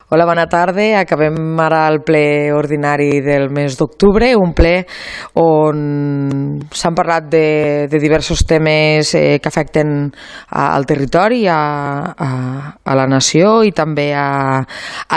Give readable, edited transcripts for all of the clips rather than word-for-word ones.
Hola, bona tarda. Acabem ara el ple ordinari del mes d'octubre, un ple on s'han parlat de diversos temes que afecten al territori, a la nació i també a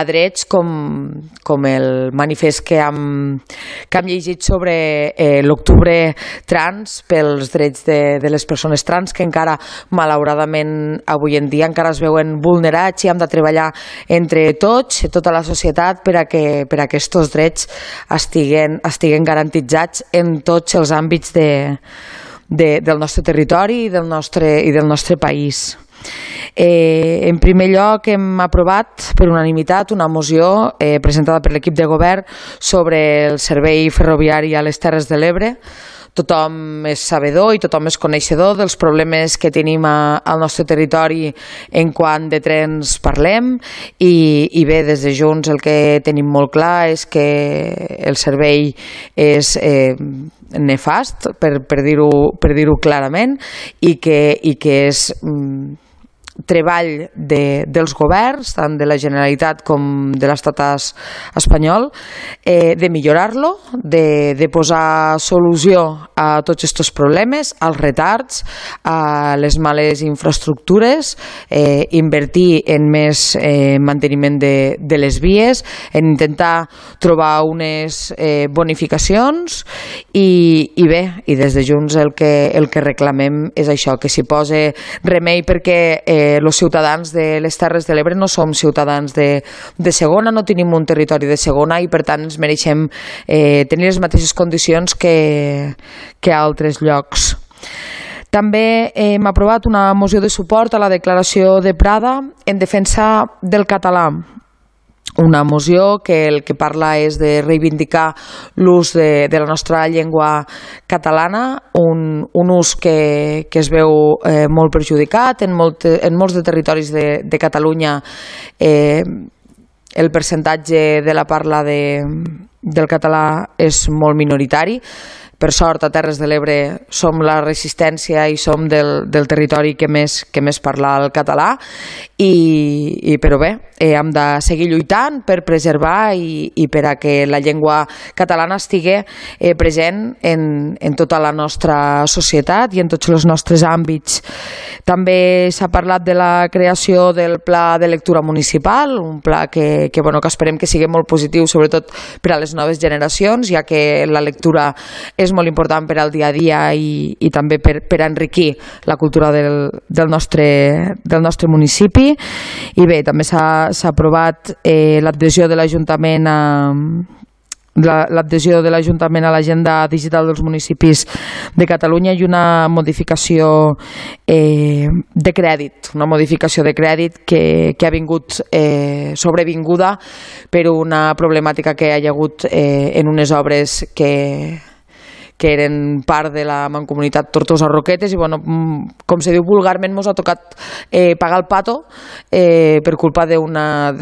drets com el manifest que hem llegit sobre l'octubre trans pels drets de les persones trans que encara, malauradament, avui en dia encara es veuen vulnerats i hem de treballar entre tots, tota la societat, per a que aquests drets estiguen garantitzats en tots els àmbits del nostre territori i del nostre país. En primer lloc, hem aprovat per unanimitat una moció presentada per l'equip de govern sobre el servei ferroviari a les Terres de l'Ebre. Tothom és sabedor i tothom és coneixedor dels problemes que tenim al nostre territori en quant de trens parlem i bé, des de Junts el que tenim molt clar és que el servei és nefast, per dir-ho clarament, i que és treball dels governs, tant de la Generalitat com de l'estat espanyol, de millorar-lo, de posar solució a tots aquests problemes, als retards, a les males infraestructures, invertir en més manteniment de les vies, en intentar trobar unes bonificacions i bé, i des de Junts el que reclamem és això, que s'hi posi remei, perquè els ciutadans de les Terres de l'Ebre no som ciutadans de segona, no tenim un territori de segona i per tant ens mereixem tenir les mateixes condicions que a altres llocs. També hem aprovat una moció de suport a la declaració de Prada en defensa del català. Una moció que el que parla és de reivindicar l'ús de la nostra llengua catalana, un ús que es veu molt perjudicat en molts de territoris de Catalunya. El percentatge de la parla del català és molt minoritari. Per sort, a Terres de l'Ebre som la resistència i som del territori que més parla el català, però bé, hem de seguir lluitant per preservar i per a que la llengua catalana estigui present en tota la nostra societat i en tots els nostres àmbits. També s'ha parlat de la creació del Pla de Lectura Municipal, un pla que esperem que sigui molt positiu, sobretot per a les noves generacions, ja que la lectura és molt important per al dia a dia i també per enriquir la cultura del nostre municipi. I bé, també s'ha aprovat l'adhesió de l'Ajuntament a l'agenda digital dels municipis de Catalunya i una modificació de crèdit que ha vingut sobrevinguda per una problemàtica que hi ha hagut en unes obres que eren part de la Mancomunitat Tortosa-Roquetes i, com se diu vulgarment, ens ha tocat pagar el pato per culpa d'una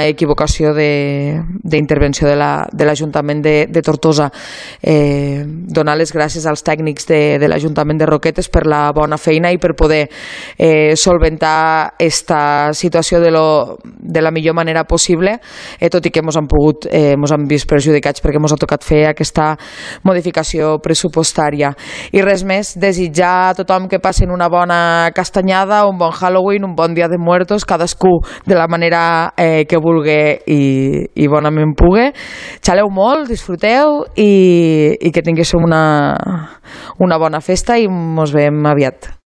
equivocació d'intervenció de l'Ajuntament de Tortosa. Donar les gràcies als tècnics de l'Ajuntament de Roquetes per la bona feina i per poder solventar aquesta situació de la millor manera possible, tot i que ens han vist perjudicats perquè ens ha tocat fer aquesta modificació pressupostària. I res més, desitjar a tothom que passin una bona castanyada, un bon Halloween, un bon Dia de Muertos, cadascú de la manera que vulgui i bonament pugui. Xaleu molt, disfruteu i que tinguéssiu una bona festa i ens veiem aviat.